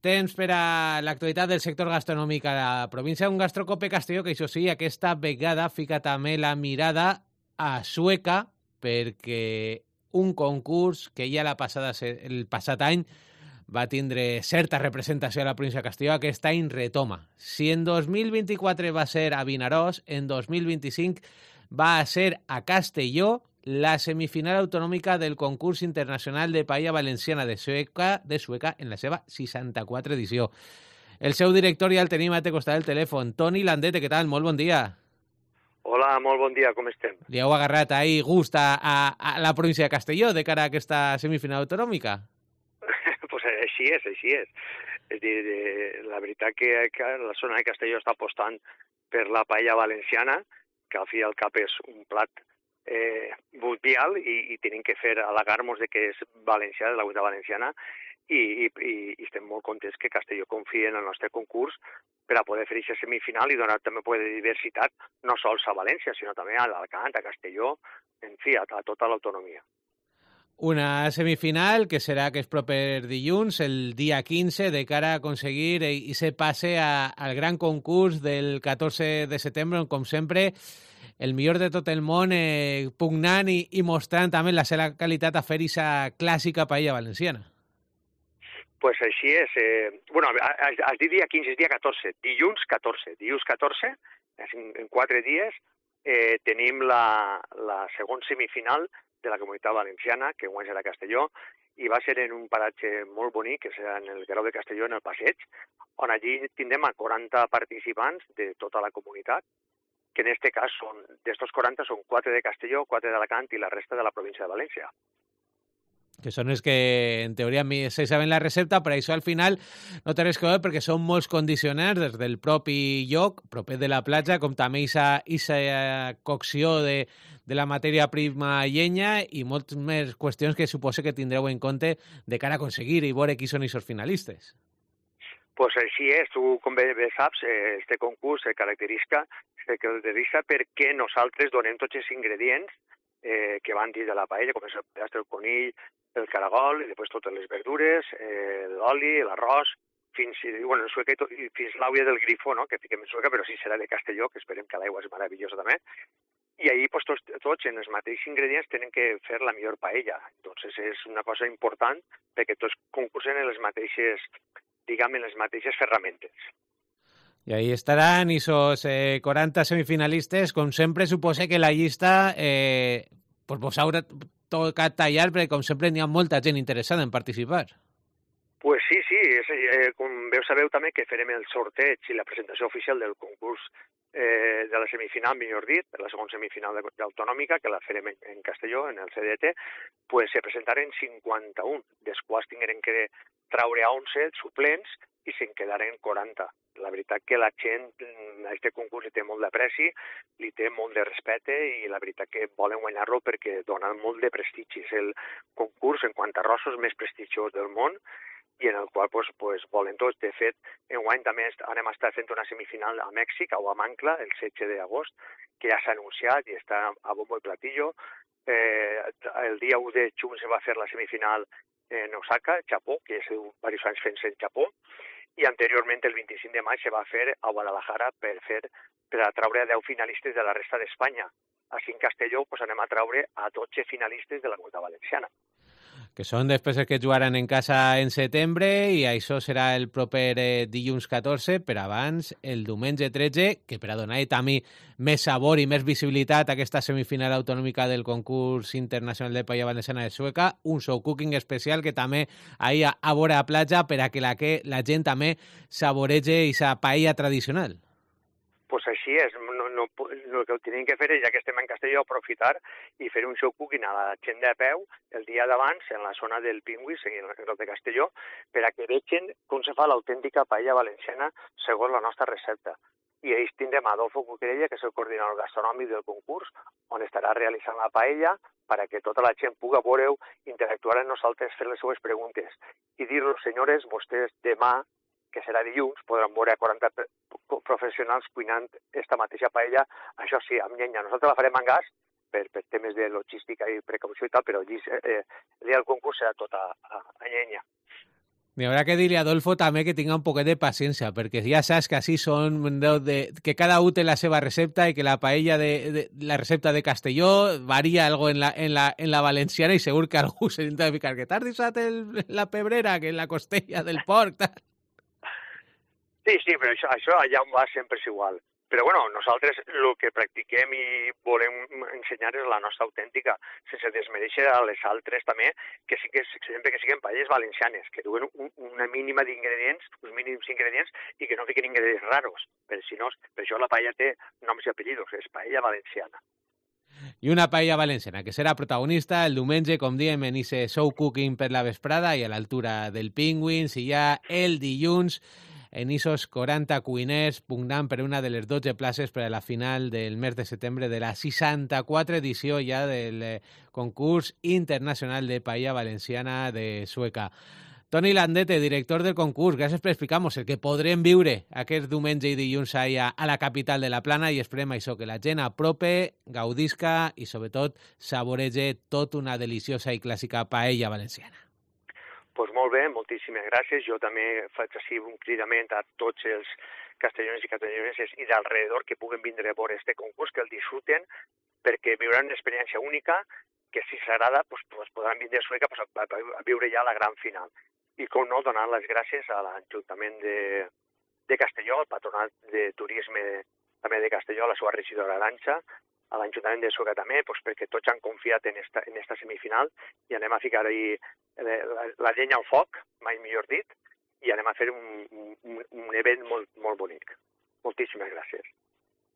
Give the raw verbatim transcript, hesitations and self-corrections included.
temps per a l'actualitat del sector gastronòmic a la província. Un Gastrocope Castelló que, això sí, aquesta vegada fica també la mirada a Sueca, perquè un concurs que ja la passada, el passat any va tindre certa representació a la província de Castelló, aquest any retoma. Si en dos mil vint-i-quatre va ser a Vinaròs, en dos mil vint-i-cinc va ser a Castelló la semifinal autonòmica del concurs internacional de paella valenciana de Sueca, de Sueca en la seva seixanta-quatre edició. El seu director ja el tenim a te costat del telèfon. Toni Landete, què tal? Molt bon dia. Hola, molt bon dia, com estem? Li heu agarrat ahir gust a, a, a la província de Castelló de cara a aquesta semifinal autonòmica? Pues així és, així és. És dir, la veritat que la zona de Castelló està apostant per la paella valenciana, que al fi i al cap és un plat eh, mundial i, i tenim que fer al·legar-nos de que és valencià, de la cuina valenciana, i, i, i estem molt contents que Castelló confia en el nostre concurs per a poder fer aquesta semifinal i donar també poder de diversitat, no sols a València, sinó també a l'Alcant, a Castelló, en fi, a, a tota l'autonomia. Una semifinal que serà que és proper dilluns, el dia quinze, de cara a aconseguir i se passe a, al gran concurs del catorze de setembre, on, com sempre, el millor de tot el món eh, pugnant i, i mostrant també la seva qualitat a fer aquesta clàssica paella valenciana. Pues així és. Eh, bueno, has, has dit dia quinze, és dia catorze. Dilluns catorze. Dilluns catorze, en, en quatre dies, eh, tenim la, la segona semifinal de la Comunitat Valenciana, que guany serà a Castelló, i va ser en un paratge molt bonic, que serà en el Grau de Castelló, en el Passeig, on allí tindrem a quaranta participants de tota la comunitat, que en aquest cas són, d'estos quaranta són quatre de Castelló, quatre d'Alacant i la resta de la província de València. Que són els que, en teoria, se saben la recepta, però això al final no té res que veure perquè són molts condicionants des del propi lloc, proper de la platja, com també aquesta cocció de, de la matèria prima llenya i moltes més qüestions que suposo que tindreu en compte de cara a aconseguir i veure qui són aquests finalistes. Pues així és, tu com bé saps, este concurs se caracteritza, se caracteritza perquè nosaltres donem tots els ingredients eh, que van dins de la paella, com és el pedastre del conill, el caragol, i després totes les verdures, eh, l'oli, l'arròs, fins, bueno, en sueca, fins l'àuia del grifo, no?, que fiquem en sueca, però sí serà de Castelló, que esperem que l'aigua és meravellosa també. I ahir pues, tots, tots en els mateixos ingredients tenen que fer la millor paella. Entonces és una cosa important perquè tots concursen en les mateixes, diguem, en les mateixes ferramentes. I ahí estaran esos eh, quaranta semifinalistes. Com sempre, suposa que la llista eh, pues vos haurà tocat tallar, perquè com sempre n'hi ha molta gent interessada en participar. Pues sí, sí, és, eh, com veu sabeu també que farem el sorteig i la presentació oficial del concurs eh, de la semifinal, millor dit, de la segona semifinal autonòmica, que la farem en, en Castelló, en el C D T, pues se presentaren cinquanta-un, dels quals tingueren que traure a onze suplents i se'n quedaren quaranta. La veritat que la gent a aquest concurs li té molt d'apreci, li té molt de respecte i la veritat que volen guanyar-lo perquè dona molt de prestigi. És el concurs, en quant a rossos, més prestigiós del món i en el qual pues, pues, volen tots. De fet, enguany també anem a estar fent una semifinal a Mèxic, a Huamancla, el setze d'agost, que ja s'ha anunciat i està a bombo i platillo. Eh, el dia u de juny se va fer la semifinal en Osaka, Japó, que és diversos anys fent-se en Japó, i anteriorment, el vint-i-cinc de maig, se va fer a Guadalajara per fer per atraure deu finalistes de la resta d'Espanya. Així en Castelló pues, anem a traure a dotze finalistes de la Comunitat Valenciana. Que són després els que jugaran en casa en setembre i això serà el proper eh, dilluns catorze, per abans el diumenge tretze, que per a donar també més sabor i més visibilitat a aquesta semifinal autonòmica del concurs internacional de paella valenciana de Sueca, un show cooking especial que també ahir a, a vora a platja per a que la, que la gent també saborege aquesta paella tradicional. Pues així és, no, no, el que tenim que fer és, ja que estem en Castelló, aprofitar i fer un show cooking a la gent de peu el dia d'abans en la zona del Pingüis, en el de Castelló, per a que vegin com se fa l'autèntica paella valenciana segons la nostra recepta. I ells tindrem Adolfo Cuquerella, que és el coordinador gastronòmic del concurs, on estarà realitzant la paella per a que tota la gent pugui veure-ho, interactuar amb nosaltres, fer les seues preguntes i dir-los, senyores, vostès demà, que serà dilluns, podran veure a quaranta professionals cuinant esta mateixa paella, això sí, amb llenya. Nosaltres la farem en gas per, per temes de logística i precaució i tal, però allí eh, el dia del concurs serà tot a, a, a llenya. N'hi haurà que dir-li a Adolfo també que tinga un poquet de paciència, perquè ja saps que així són, de, que cada un té la seva recepta i que la paella de, de la recepta de Castelló varia algo en la, en la, en la valenciana i segur que algú s'intenta ficar que t'has deixat el, la pebrera, que la costella del porc, tal. Sí, sí, però això, això allà on va sempre és igual. Però bueno, nosaltres el que practiquem i volem ensenyar és la nostra autèntica, sense desmereixer a les altres també, que sí que sempre que siguin paelles valencianes, que duen un, una mínima d'ingredients, uns mínims ingredients, i que no fiquen ingredients raros, per, si no, per això la paella té noms i apellidos, és paella valenciana. I una paella valenciana que serà protagonista el diumenge, com diem, en ese show cooking per la vesprada i a l'altura del Penguins, i ja el dilluns en esos quaranta cuiners pugnant per una de les dotze places per a la final del mes de setembre de la seixanta-quatre edició ja del eh, concurs internacional de paella valenciana de Sueca. Toni Landete, director del concurs, gràcies per explicar-nos el que podrem viure aquest diumenge i dilluns a, a la capital de la Plana, i esperem això, que la gent aprope, gaudisca i sobretot saborege tot una deliciosa i clàssica paella valenciana. Doncs molt bé, moltíssimes gràcies. Jo també faig així un cridament a tots els castelloners i castelloneses i d'alrededor que puguen vindre a veure este concurs, que el disfruten, perquè viuran una experiència única, que si s'agrada pues, pues podran vindre a Sueca pues, a, a viure ja la gran final. I com no, donar les gràcies a l'Ajuntament de, de Castelló, al Patronat de Turisme també de Castelló, a la seva regidora Arantxa, a l'Ajuntament de Sueca també, pues, perquè tots han confiat en esta, en esta semifinal i anem a ficar ahí la, la llenya al foc, mai millor dit, i anem a fer un, un, un event molt, molt bonic. Moltíssimes gràcies.